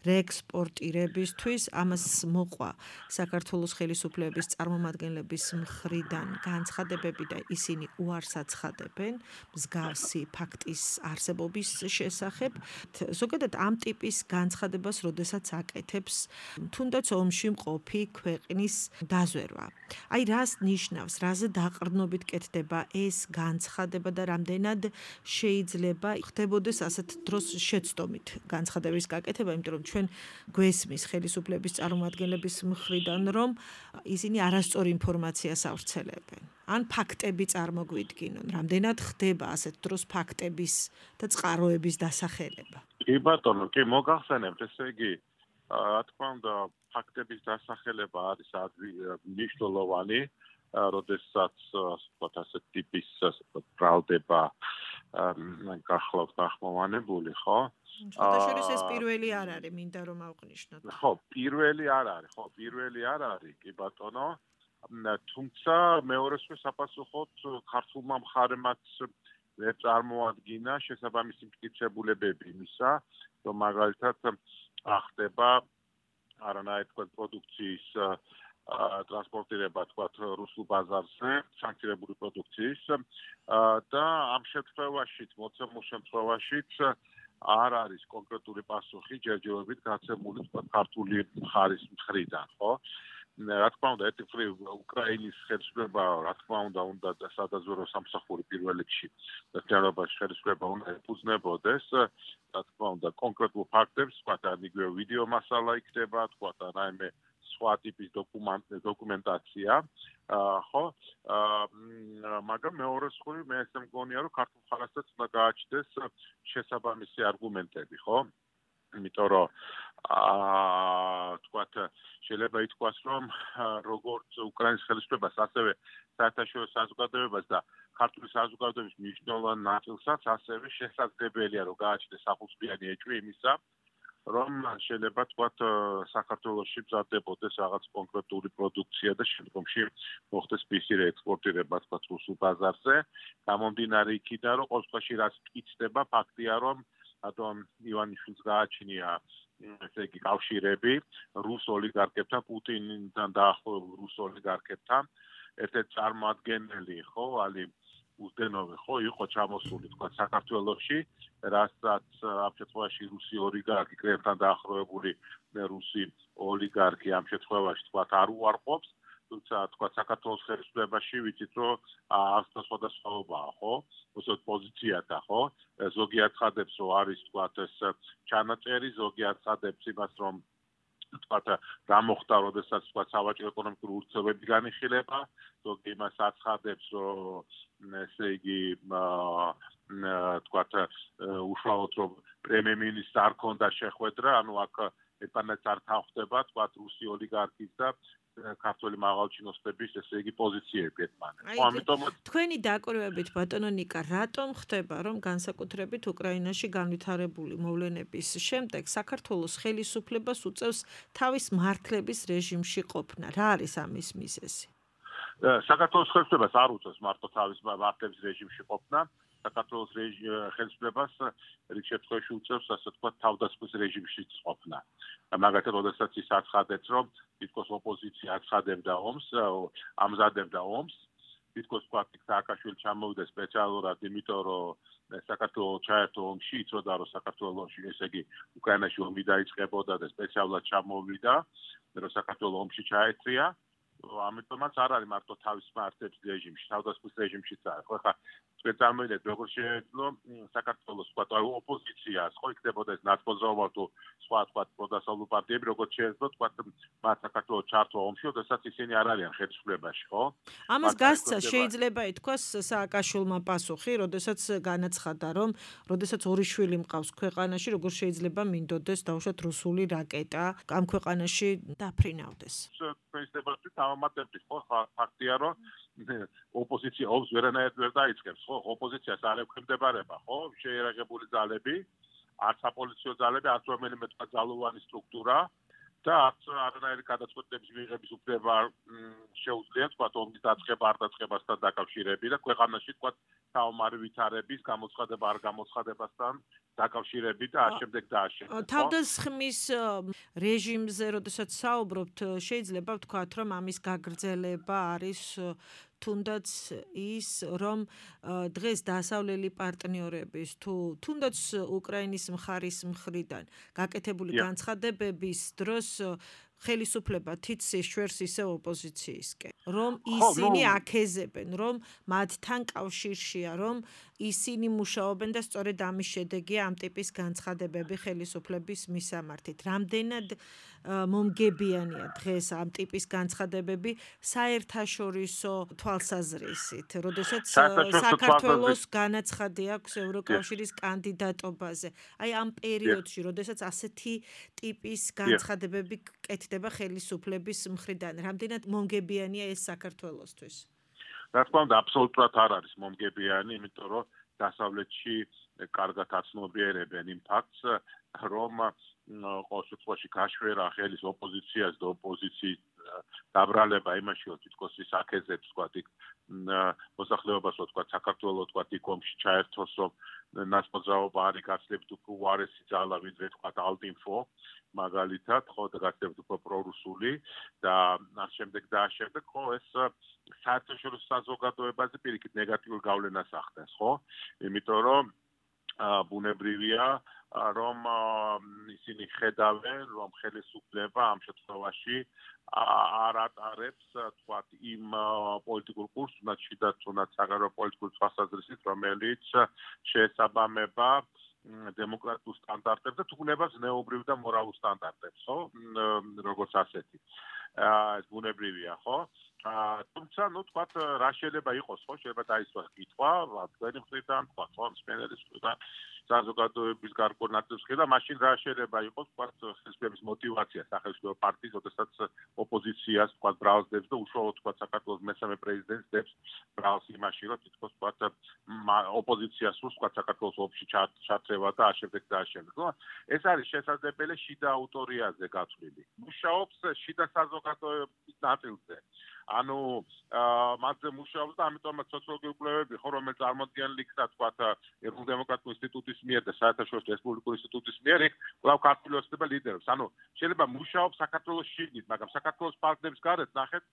რეექსპორტირებისთვის. ამას მოყვა საქართველოს ხელისუფლების წარმომადგენლების მხრიდან განცხადებები და ისინი უარს აცხადებენ მსგავსი ფაქტის არსებობის შესახებ. ზოგადად ამ ტიპის განცხადებას, როდესაც აკეთებს თუნდაც ომში მყოფი ქვეყნის დაზვერვა. აი რას ნიშნავს, რაზე დაყრდნობით კეთდება ეს განცხადება და რამდენად შეიძლება ხდებოდეს ასეთ დროს შეცდომით განცხადების გაკეთება, იმიტომ რომ ჩვენ გვესმის ხელისუფლების წარმომადგენლების მხრიდან, რომ ისინი არასწორ ინფორმაციას ავრცელებენ. ან ფაქტები წარმოგვიდგინონ, რამდენად ხდება ასეთ დროს ფაქტების და წყაროების დასახელება. კი ბატონო, კი მოგახსენებთ, ესე იგი, რა თქმა უნდა, ფაქტების დასახელება არის მნიშვნელოვანი, როდესაც ვთქვათ ასეთ ტიპის ბრალდება გახლავთ გახმოვანებული, ხო? შეთაშორის ეს პირველი არ არის, მინდა რომ ავყნიშნოთ. ხო, პირველი არ არის, ხო, პირველი არ არის, კი ბატონო. თუმცა მეორესვე საპასუხოდ ქართულმა მხარემაც წარმოადგინა შესაბამისი მტკიცებულებები იმისა, რომ მაგალითად ახდება არანაირი თქვა პროდუქციის ტრანსპორტირება თქვა რუსულ ბაზარზე, სანქცირებული პროდუქციის და ამ შემთხვევაშიც, მოცემულ შემთხვევაშიც არ არის კონკრეტული პასუხი ჯერჯერობით გაცემული თქვა ქართული მხარის მხრიდან, ხო? რა თქმა უნდა, ერთი მხრივ უკრაინის ხელისუფლება, რა თქმა უნდა, უნდა სადაზვერვო სამსახური პირველ რიგში დაწესებულებას ხელისუფლება უნდა ეფუძნებოდეს, რა თქმა უნდა, კონკრეტულ ფაქტებს, თქვა და იგივე ვიდეო მასალა იქნება, თქვა და რაიმე სხვა ტიპის დოკუმენტაცია, ხო? მაგრამ მეორე მხრივ მე ესე მგონია, რომ ქართულ მხარესაც უნდა გააჩნდეს შესაბამისი არგუმენტები, ხო? იმიტომ რომ აა თქვათ შეიძლება ითქვას რომ როგორც უკრაინის ხელისუფლებას ასევე საერთაშორისო საზოგადოებას და ქართული საზოგადოების მნიშვნელოვან ნაწილსაც ასევე შესაძლებელია რომ გააჩნდეს ახალწლიანი ეჭვი იმისა რომ შეიძლება თქვათ საქართველოში მზადდებოდეს რაღაც კონკრეტული პროდუქცია და შემდგომში მოხდეს მისი რეექსპორტირება თქვათ რუსულ ბაზარზე გამომდინარე იქიდან რომ ყოველ შემთხვევაში რაც მტკიცდება ფაქტია რომ ატომ ივანიშვილს გააჩნია ესე იგი კავშირები რუს ოლიგარქებთან პუტინთან დაახლოებულ რუს ოლიგარქებთან ერთ-ერთი წარმოადგენელი ხო ალი უზდენოვი ხო იყო ჩამოსული თქვა საქართველოში რასაც ამ შემთხვევაში რუსი ოლიგარქი კრემლთან დაახლოებული რუსი ოლიგარქი ამ შემთხვევაში თქვა არ უარყოფს თუმცა თქვა საქართველოს ხელისუფლებაში ვიცით რომ აქ სხვადასხვაობაა ხო უბრალოდ პოზიციათა ხო ზოგი აცხადებს რომ არის თქვა ეს ჩანაწერი ზოგი აცხადებს იმას რომ თქვა რა მოხდა როდესაც თქვა სავაჭრო ეკონომიკური ურთიერთობები განიხილება ზოგი იმას აცხადებს რომ ესე იგი თქვა უშუალოდ რომ პრემიერ-მინისტრს არ ქონდა შეხვედრა ანუ აქ ერთმანეთს არ თანხდება თქვა რუსი ოლიგარქის და ქართული მაღალჩინოსნების ესე იგი პოზიციები ერთმანეთს. ხო, ამიტომ თქვენი დაკვირვებით ბატონო ნიკა, რატომ ხდება რომ განსაკუთრებით უკრაინაში განვითარებული მოვლენების შემდეგ საქართველოს ხელისუფლებას უწევს თავის მართლების რეჟიმში ყოფნა? რა არის ამის მიზეზი? საქართველოს ხელისუფლებას არ უწევს მარტო თავის მართლების რეჟიმში ყოფნა. საქართველოს ხელისუფლებას რიგ შემთხვევაში უწევს ასე თქვა თავდასხმის რეჟიმში ყოფნა. მაგალითად, როდესაც ის აცხადებს, რომ თითქოს ოპოზიცია აცხადებდა ომს, ამზადებდა ომს, თითქოს თქვა სააკაშვილი ჩამოვიდა სპეციალურად, იმიტომ რომ საქართველოს ჩაერთო ომში, იცოდა რომ საქართველოში, ესე იგი, უკრაინაში ომი დაიწყებოდა და სპეციალურად ჩამოვიდა, რომ საქართველოს ომში ჩაერთრია. ამიტომაც არ არის მარტო თავის მართლების რეჟიმში, თავდასხმის რეჟიმშიც არის. ხო, ხა თქვენ წარმოიდგინეთ, როგორ შეეძლო საქართველოს თქვა ოპოზიციას, ხო იქნებოდა ეს ნაცმოძრაობა თუ სხვა თქვა პროდასავლურ პარტიები, როგორც შეეძლო თქვა მათ საქართველოს ჩართვა ომში, როდესაც ისინი არ არიან ხელისუფლებაში, ხო? ამას გასცა შეიძლება ითქვას სააკაშვილმა პასუხი, როდესაც განაცხადა, რომ როდესაც ორი შვილი მყავს ქვეყანაში, როგორ შეიძლება მინდოდეს დაუშვათ რუსული რაკეტა ამ ქვეყანაში დაფრინავდეს. პრეზიდენტი დამატებით, ხო, ფაქტია, რომ ოპოზიცია ომს ვერანაირად ვერ დაიწყებს, ხო? ოპოზიციას არ ექვემდებარება, ხო? შეერაღებული ძალები, არც საპოლიციო ძალები, არც რომელიმე თქვა ძალოვანი სტრუქტურა და არც არანაირი გადაწყვეტილების მიღების უფლება შეუძლია თქვა ომის დაწყება არ დაწყებასთან დაკავშირებით და ქვეყანაში თქვა საომარი ვითარების გამოცხადება არ გამოცხადებასთან დაკავშირებით და ამ შემდეგ და ამ შემდეგ. თავდასხმის რეჟიმზე როდესაც საუბრობთ, შეიძლება ვთქვათ, რომ ამის გაგრძელება არის თუნდაც ის, რომ დღეს დასავლელი პარტნიორების თუ თუნდაც უკრაინის მხარის მხრიდან გაკეთებული განცხადებების დროს ხელისუფლება თითს შვერს ისე ოპოზიციისკენ, რომ ისინი აქეზებენ, რომ მათთან კავშირშია, რომ ისინი მუშაობენ და სწორედ ამის შედეგია ამ ტიპის განცხადებები ხელისუფლების მისამართით. რამდენად მომგებიანია დღეს ამ ტიპის განცხადებები საერთაშორისო თვალსაზრისით, როდესაც საქართველოს განაცხადი აქვს ევროკავშირის კანდიდატობაზე. აი ამ პერიოდში, როდესაც ასეთი ტიპის განცხადებები კეთდება ხელისუფლების მხრიდან, რამდენად მომგებიანია ეს საქართველოსთვის? რა თქმა უნდა, აბსოლუტურად არ არის მომგებიანი, იმიტომ რომ დასავლეთში კარგად აცნობიერებენ იმ ფაქტს, რომ ყოველ შემთხვევაში გაშვერა ხელის ოპოზიციას და ოპოზიციის დაბრალება იმაში, რომ თითქოს ის აქეზებს, თქვა, იქ მოსახლეობას, თქვა, საქართველოს, თქვა, იქ ომში ჩაერთოს, რომ ნაცმოძრაობა არის გაცილებით უფრო უარესი ძალა, ვიდრე, თქვა, ალტინფო, მაგალითად, ხო, და გაცილებით უფრო პრორუსული და ამ შემდეგ და ამ შემდეგ, ხო, ეს საერთაშორისო საზოგადოებაზე პირიქით ნეგატიურ გავლენას ახდენს, ხო? იმიტომ რომ ბუნებრივია, რომ ისინი ხედავენ, რომ ხელისუფლება ამ შემთხვევაში არ ატარებს, თქვა, იმ პოლიტიკურ კურსს, თუნდაც შიდა თუნდაც საგარეო პოლიტიკურ თვალსაზრისით, რომელიც შეესაბამება დემოკრატიულ სტანდარტებს და თუნდაც ზნეობრივ და მორალურ სტანდარტებს, ხო? როგორც ასეთი. ეს ბუნებრივია, ხო? თუმცა, ну, თქვა, რა შეიძლება იყოს, ხო? შეიძლება დაისვას კითხვა, თქვენი მხრიდან, თქვა, ხო, მსმენელის მხრიდან, საზოგადოების გარკვეულ ნაწილს მხრიდან, მაშინ რა შეიძლება იყოს, თქვა, ხელისუფლების мотиваცია სახელმწიფო პარტიის, როდესაც ოპოზიციას, თქვა, ბრალსდებს და უშუალოდ, თქვა, საქართველოს მესამე პრეზიდენტს დებს ბრალს იმაში, რომ თითქოს, თქვა, ოპოზიციას სურს, თქვა, საქართველოს ომში ჩათრევა და ამ შემდეგ და ამ შემდეგ. ეს არის შესაძლებელი შიდა ავტორიაზე გათვლილი. მუშაობს შიდა საზოგადოების ნაწილზე. ანუ მათზე მუშაობს და ამიტომაც სოციოლოგიური კვლევები ხო რომელიც წარმოადგენლ იქნა თქვა ეროვნულ დემოკრატიულ ინსტიტუტის მიერ და საერთაშორისო რესპუბლიკურ ინსტიტუტის მიერ იქ კვლავ ქართული ოცნება ლიდერობს. ანუ შეიძლება მუშაობს საქართველოს შიგნით, მაგრამ საქართველოს პარტნიორებს გარეთ ნახეთ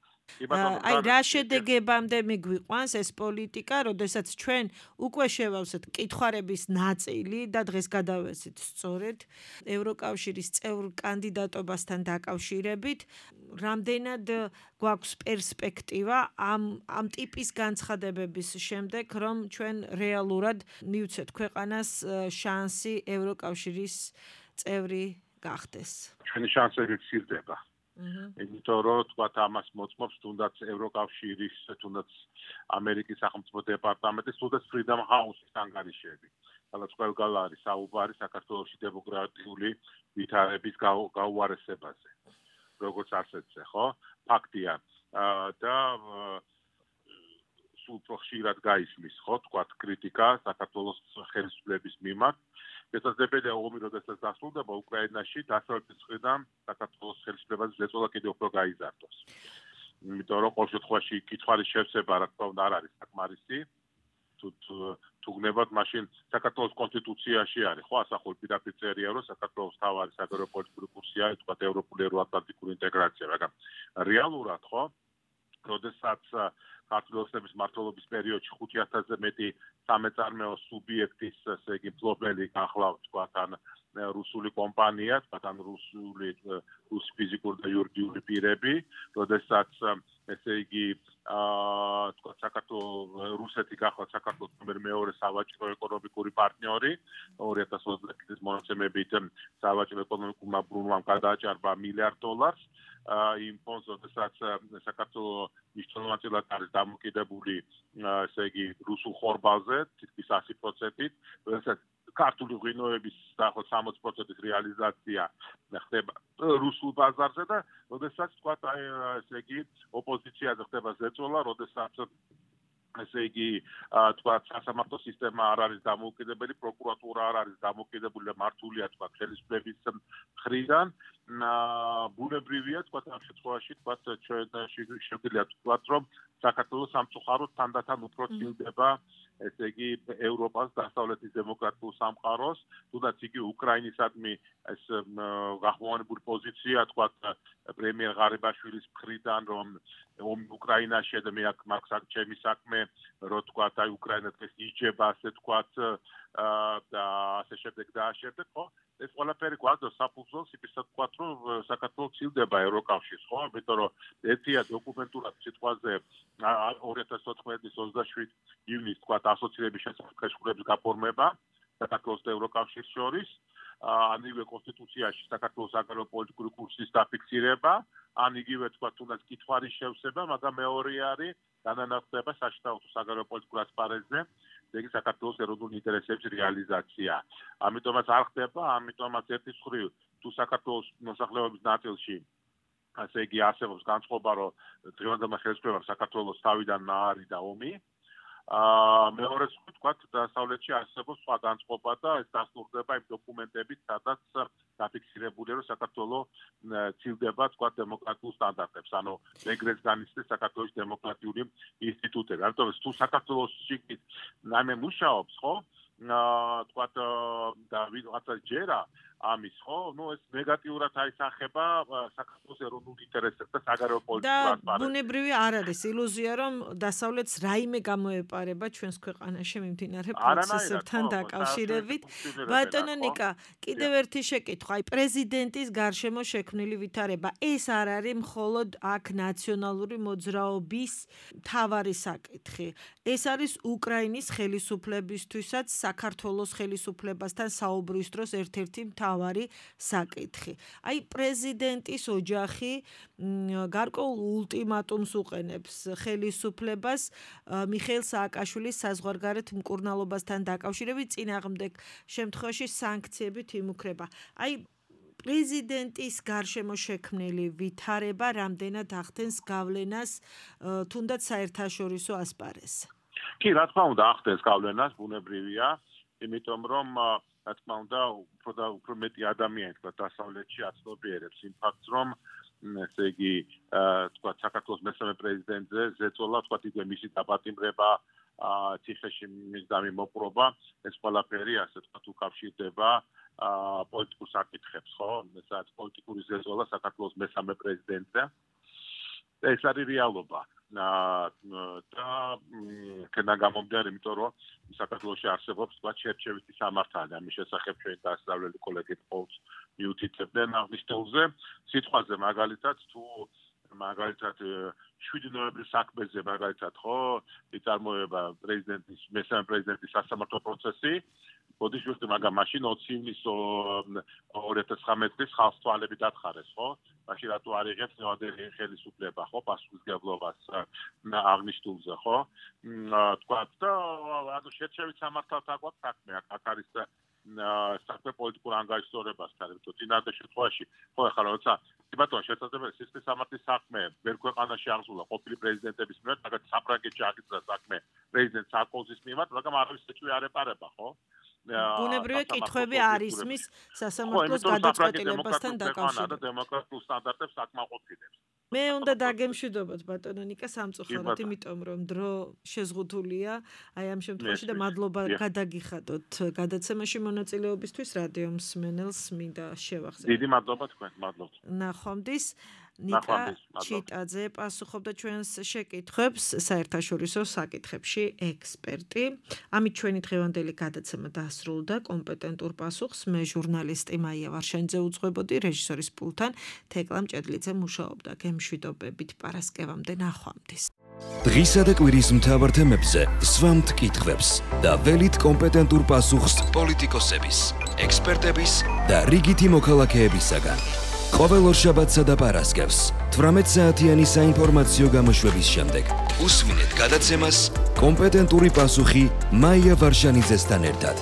აი რა შედეგებამდე მიგვიყვანს ეს პოლიტიკა, როდესაც ჩვენ უკვე შევავსეთ კითხوارების ნაწილი და დღეს გადავესით სწორედ ევროკავშირის წევრ კანდიდატობასთან დაკავშირებით, რამდენად გვაქვს პერსპექტივა ამ ამ ტიპის განცხადებების შემდეგ, რომ ჩვენ რეალურად მივცეთ ქვეყანას შანსი ევროკავშირის წევრი გახდეს. ჩვენი შანსები მცირდება. იმიტომ რომ თქვა ამას მოწმობს თუნდაც ევროკავშირის, თუნდაც ამერიკის სახელმწიფო დეპარტამენტის, თუნდაც Freedom House-ის ანგარიშები. სადაც ყველგან არის საუბარი საქართველოში დემოკრატიული ვითარების გაუარესებაზე. როგორც ასეთზე, ხო? ფაქტია. და სულ უფრო ხშირად გაისმის, ხო, თქვა კრიტიკა საქართველოს ხელისუფლების მიმართ. შესაძლებელია ომი, როდესაც დასრულდება უკრაინაში, დასავლეთის მხრიდან საქართველოს ხელისუფლებას ზეწოლა კიდევ უფრო გაიზარდოს. იმიტომ რომ ყოველ შემთხვევაში კითხვის შევსება, რა თქმა უნდა, არ არის საკმარისი. თუ თუ გნებავთ, მაშინ საქართველოს კონსტიტუციაში არის, ხო, ასახული პირდაპირ წერია, რომ საქართველოს თავარი საგარეო პოლიტიკური კურსია, თქვა ევროპული ევროატლანტიკური ინტეგრაცია, მაგრამ რეალურად, ხო, როდესაც ქართული ოცნების მმართველობის პერიოდში ხუთი ათასზე მეტი სამეწარმეო სუბიექტის, ესე იგი, მფლობელი გახლავთ, თქვა, თან რუსული კომპანია, თქვა, თან რუსული რუს ფიზიკური და იურიდიული პირები, როდესაც ესე იგი, აა, თქვა, საქართველოს რუსეთი გახლავთ საქართველოს მეორე სავაჭრო ეკონომიკური პარტნიორი, ორი ათას ოცდაათი წლის მონაცემებით სავაჭრო ეკონომიკურმა ბრუნვამ გადააჭარბა მილიარდ დოლარს. იმ ფონდს, როდესაც საქართველოს მნიშვნელოვნად არის დამოკიდებული, ესე იგი, რუსულ ხორბალზე, თითქმის ასი პროცენტით, როდესაც ქართული ღვინოების დაახლოებით სამოცი პროცენტის რეალიზაცია ხდება რუსულ ბაზარზე და როდესაც თქვა, ესე იგი, ოპოზიციაზე ხდება ზეწოლა, როდესაც ესე იგი თქვა სასამართლო სისტემა არ არის დამოუკიდებელი, პროკურატურა არ არის დამოუკიდებელი და მართულია თქვა ხელისუფლების მხრიდან. ბუნებრივია თქვა ამ შემთხვევაში თქვა შეგვიძლია თქვა რომ საქართველოს სამწუხაროდ თანდათან უფრო ცილდება ესე იგი ევროპას დასავლეთის დემოკრატიულ სამყაროს, თუნდაც იგი უკრაინისადმი ეს გახმოვანებული პოზიცია თქვა პრემიერ ღარიბაშვილის მხრიდან რომ ომი უკრაინაში და მე აქ მაგ ჩემი საქმე რო თქვა აი უკრაინა დღეს იჯება ასე თქვა და ასე შემდეგ და ასე შემდეგ ხო ეს ყველაფერი გვაქვს საფუძველს იმისა თქვა რომ საქართველოს ცილდება ევროკავშირს ხო ამიტომ რომ ერთია დოკუმენტურად სიტყვაზე ორი ათას ოთხმეტი ოცდაშვიდ ივნის თქვა ასოცირების შესაძლებლობის გაფორმება საქართველოს და ევროკავშირის შორის ან იგივე კონსტიტუციაში საქართველოს საგარეო პოლიტიკური კურსის დაფიქსირება ან იგივე თქვა თუნდაც კითხვარის შევსება მაგრამ მეორე არის განანათლება საშტაუто საგარეო პოლიტიკურ ასპარეზზე ეგ საქართველოს ეროვნული ინტერესების რეალიზაცია ამიტომაც არ ხდება ამიტომაც ერთის მხრივ თუ საქართველოს მოსახლეობის ნაწილში ასე იგი არსებობს განწყობა რომ დღევანდელმა ხელისუფლებამ საქართველოს თავიდან ნაარი და ომი აა მეორე თქვა დასავლეთში არსებობს სხვა განწყობა და ეს დასტურდება იმ დოკუმენტებით სადაც დაფიქსირებულია რომ საქართველოს ცილდება თქვა დემოკრატიულ სტანდარტებს ანუ ეგრეთ განიცდის საქართველოს დემოკრატიული ინსტიტუტები ამიტომ თუ საქართველოსში ნამე მუშაობს ხო აა თქვა და ვიღაცა ჯერა ამის ხო ნუ ეს ნეგატიურად აისახება საქართველოს ეროვნულ ინტერესებს და საგარეო პოლიტიკურ ასპარეზს და ბუნებრივი არ არის ილუზია რომ დასავლეთს რაიმე გამოეპარება ჩვენს ქვეყანაში მიმდინარე პროცესებთან დაკავშირებით ბატონო ნიკა კიდევ ერთი შეკითხვა აი პრეზიდენტის გარშემო შექმნილი ვითარება ეს არ არის მხოლოდ აქ ნაციონალური მოძრაობის მთავარი საკითხი ეს არის უკრაინის ხელისუფლებისთვისაც საქართველოს ხელისუფლებასთან საუბრის დროს ერთ-ერთი მთავარი საკითხი. აი პრეზიდენტის ოჯახი გარკვეულ ულტიმატუმს უყენებს ხელისუფლებას მიხეილ სააკაშვილის საზღვარგარეთ მკურნალობასთან დაკავშირებით წინააღმდეგ შემთხვევაში სანქციებით იმუქრება. აი პრეზიდენტის გარშემო შექმნილი ვითარება რამდენად ახდენს გავლენას თუნდაც საერთაშორისო ასპარეზზე. კი, რა თქმა უნდა, ახდენს გავლენას, ბუნებრივია, იმიტომ რომ რა თქმა უნდა, უფრო და უფრო მეტი ადამიანი თქვა დასავლეთში აცნობიერებს იმ ფაქტს, რომ ესე იგი, თქვა საქართველოს მესამე პრეზიდენტზე ზეწოლა, თქვა იგივე მისი დაპატიმრება, ციხეში მის დამიმოპყრობა, ეს ყველაფერი ასე თქვა უკავშირდება პოლიტიკურ საკითხებს, ხო? სადაც პოლიტიკური ზეწოლა საქართველოს მესამე პრეზიდენტზე. ეს არის რეალობა. და კენა გამომდინარე, იმიტომ რომ საქართველოში არსებობს თქვა ჩერჩევითი სამართალი, ამის შესახებ ჩვენ დასავლელი კოლეგები ყოველთვის მიუთითებდნენ აღნიშნულ თემზე, სიტყვაზე მაგალითად თუ მაგალითად შვიდი ნოემბრის საქმეზე მაგალითად ხო იწარმოება პრეზიდენტის მესამე პრეზიდენტის სასამართლო პროცესი ბოდიშვილი მაგრამ მაშინ ოცი ივნისის ორი ათას ცხრამეტი წლის ხალხს თვალები დათხარეს ხო მაშინ რატო არ იღებს ნევადელი ხელისუფლება ხო პასუხისმგებლობას აღნიშნულზე ხო თქვა და ანუ შერჩევით სამართალთან გვაქვს საქმე აქ არის საქმე პოლიტიკურ ანგარიშსწორებასთან იმიტომ წინადადე შემთხვევაში ხო ახლა როცა ბატონო შესაძლებელი სისტემის სამართლის საქმე ვერ ქვეყანაში აღზრდა ყოფილი პრეზიდენტების მიერ მაგათ საფრანგეთში აღიძრა საქმე პრეზიდენტ სარკოზის მიმართ მაგრამ არავის ეჭვი არ ეპარება ხო ბუნებრივია კითხვები არ ისმის სასამართლოს გადაწყვეტილებასთან დაკავშირებით დემოკრატიულ სტანდარტებს აკმაყოფილებს მე უნდა დაგემშვიდობოთ ბატონო ნიკა სამწუხაროდ იმიტომ რომ დრო შეზღუდულია აი ამ შემთხვევაში და მადლობა გადაგიხადოთ გადაცემაში მონაწილეობისთვის რადიო მსმენელს მინდა შევახსენო დიდი მადლობა თქვენ მადლობთ ნახვამდის ნიკა ჩიტაძე პასუხობდა ჩვენს შეკითხვებს საერთაშორისო საკითხებში ექსპერტი. ამით ჩვენი დღევანდელი გადაცემა დასრულდა. კომპეტენტურ პასუხს მე ჟურნალისტი მაია ვარშენიძე უძღვებოდი, რეჟისორის პულტთან თეკლა მჭედლიძე მუშაობდა. გემშვიდობებით პარასკევამდე ნახვამდის. დღისა და კვირის მთავარ თემებზე სვამთ კითხვებს და ველით კომპეტენტურ პასუხს პოლიტიკოსების, ექსპერტების და რიგითი მოქალაქეებისაგან. ყოველ ორშაბათსა და პარასკევს თვრამეტ საათიანი საინფორმაციო გამოშვების შემდეგ უსვინეთ გადაცემას კომპეტენტური პასუხი მაია ვარშანიძესთან ერთად.